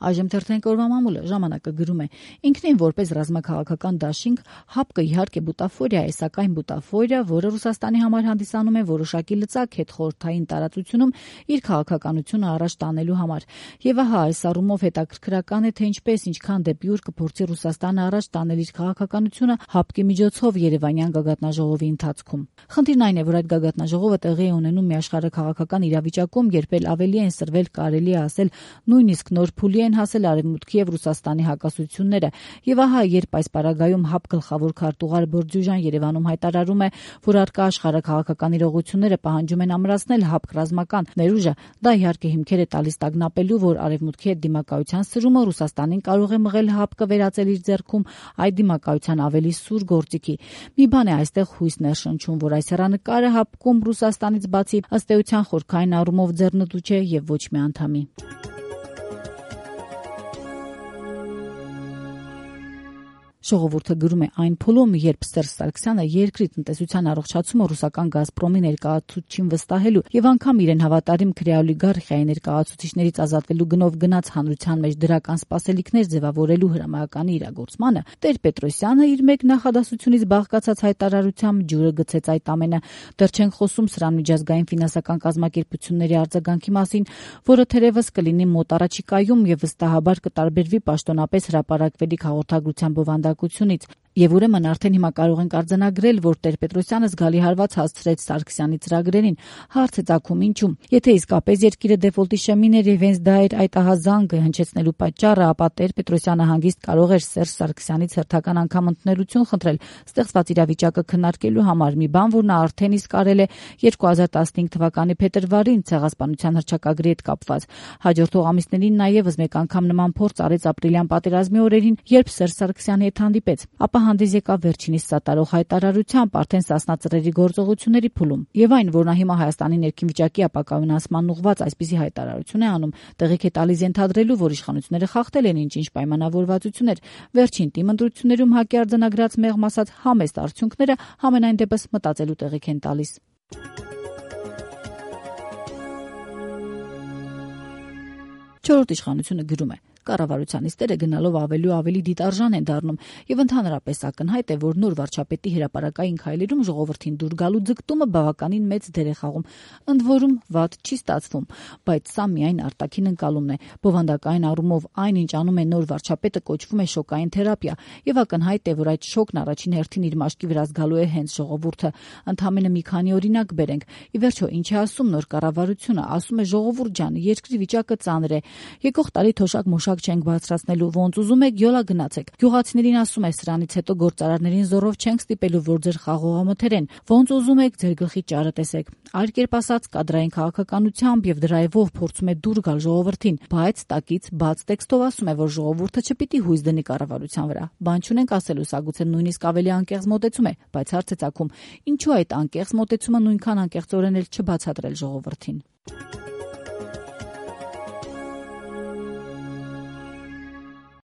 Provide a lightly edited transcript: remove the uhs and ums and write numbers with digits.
Այժմ թերթենք օրվա մամուլը ժամանակը գրում է. ինքնին որպես ռազմաքաղաքական դաշինք ՀԱՊԿ-ը իհարկե բուտաֆորիա է, սակայն բուտաֆորիա, որը Ռուսաստանի համար հանդիսանում է որոշակի լծակ հետխորհրդային տարածությունում իր քաղաքականությունը առաջ տանելու համար։ Եվ ահա այս առումով հետաքրքրական է, թե ինչքան դեպի ուր կփորձի Ռուսաստանը առաջ տանել իր քաղաքականությունը ՀԱՊԿ-ի միջոցով Երևանյան գագաթնաժողովի ընթացքում։ Խնդիրն այն է, որ այդ գագաթնաժողովը տեղի է ունենում մի աշխարհաքաղաքական իրավիճակում, երբ էլ ավելի են սրվել, կարելի է ասել, նույնիսկ նոր փուլի են հասել Արևմուտքի եւ Ռուսաստանի հակասությունները։ Եվ ահա, երբ այս պարագայում ՀԱՊԿ գլխավոր քարտուղար Բորդյուժան Երևանում հայտարարում է, որ առկա աշխարհաքաղաքական իրողությունները պահանջում են ամրացնել ՀԱՊԿ ռազմական ներուժը, դա իհարկե հիմքեր է տալիս տագնապելու, որ Արևմուտքի հետ դիմակայության սրումը Ռուսաստանին կարող է մղել ՀԱՊԿ-ը վերածել իր ձեռքում այդ դիմակայության ավելի սուր գործիքի։ Մի բան է այստեղ հույս ներշնչում, որ այս հեռանկարը ՀԱՊԿ-ում Ռուսաստանից բացի ըստ էության խորքային առումով ձեռնտու չէ եւ ոչ մի անդամի։ Ժողովուրդը գրում է այն փուլում, երբ Սերժ Սարգսյանը երկրի տնտեսության առողջացումը ռուսական «Գազպրոմի» ներկայացուցչին վստահելու եւ անգամ իրեն հավատարիմ քրեօլիգարխիայի ներկայացուցիչներից ազատվելու գնով գնաց հանրության մեջ դրական սպասելիքներ ձևավորելու հրամայականի իրագործմանը, Տեր-Պետրոսյանը իր մեկ նախադասությունից բաղկացած հայտարարությամբ ջուրը գցեց այդ ամենը։ Դեռ չենք խոսում սրան միջազգային ֆինանսական կազմակերպությունների արձագանքի մասին, որը թերևս կլինի մոտ առաջիկայում եւ վստահաբար կտարբերվի պաշտոնապես հրապարակվելիք հաղորդագրության բովանդակությունից։ Եվ ուրեմն արդեն հիմա կարող ենք արձանագրել, որ Տեր-Պետրոսյանը զգալի հարված հասցրեց Սարգսյանի ծրագրերին։ Հարց է ծագում ինչու։ Եթե իսկապես երկիրը դեֆոլտի շեմին էր եւ հենց դա էր այդ ահազանգը հնչեցնելու պատճառը, ապա Տեր-Պետրոսյանը հանգիստ կարող էր Սերժ Սարգսյանից հերթական անգամ ընդունելություն խնդրել ստեղծված իրավիճակը քննարկելու համար, մի բան, որ նա արդեն իսկ արել է 2015 թվականի փետրվարին ցեղասպանության հռչակագրի հետ կապված։ Հաջորդող ամիսներին նա եւս մեկ անգամ նման փորձ արեց ապրիլյան պատերազմի օրերին, երբ Սերժ Սարգսյանի հետ հանդիպեց։ Ապա հանդես եկավ վերջինիս սատարող հայտարարությամբ արդեն Սասնա ծռերի գործողությունների փուլում։ Եվ այն, որ նա հիմա Հայաստանի ներքին վիճակի ապակայունացման ուղղված այսպիսի հայտարարություն է անում, տեղիք է տալիս ենթադրելու, որ իշխանությունները խախտել են ինչ-ինչ պայմանավորվածություններ։ Վերջին ՏԻՄ ընտրություններում ՀԱԿ-ի արձանագրած մեղմ ասած համեստ արդյունքները համենայն դեպս մտածելու տեղիք են տալիս։ Չորրորդ իշխանությունը գրում է. կառավարության նիստերը գնալով ավելի ու ավելի դիտարժան են դառնում եւ ընդհանրապես ակնհայտ է, որ նոր վարչապետի հրապարակային քայլերում ժողովրդին դուր գալու ձգտումը բավականին մեծ դեր է խաղում։ Ընդ որում վատ չի ստացվում, բայց սա միայն արտաքին ընկալումն է։ Բովանդակային առումով այն, ինչ անում է նոր վարչապետը, կոչվում է շոկային թերապիա եւ ակնհայտ է, որ այդ շոկն առաջին հերթին իր մաշկի վրա զգալու է հենց ժողովուրդը։ Ընդամենը մի քանի օրինակ բերենք։ Ի վերջո, ինչ է ասում նոր կառավարությունը, ասում է ժողովուրդ ջան, երկրի վիճակը ծանր է։ Եկող տարի թոշակ չենք բարձրացնելու, ոնց ուզում եք յոլա գնացեք։ Գյուղացիներին ասում է սրանից հետո գործարարներին զորով չենք ստիպելու, որ ձեր խաղողամթերեն, ոնց ուզում եք ձեր գլխի ճարը տեսեք։ Այլ կերպ ասած, կադրային քաղաքականությամբ եւ դրայվով փորձում է դուր գալ ժողովրդին, բայց տակից բաց տեքստով ասում է, որ ժողովուրդը չպիտի հույս դնի կառավարության վրա։ Բան չունենք ասելու, սա գուցե նույնիսկ ավելի անկեղծ մոտեցում է, բայց հարց է ծագում, ինչու այդ անկեղծ մոտեցումը նույնքան անկեղծորեն էլ չբացատրել ժողովրդին։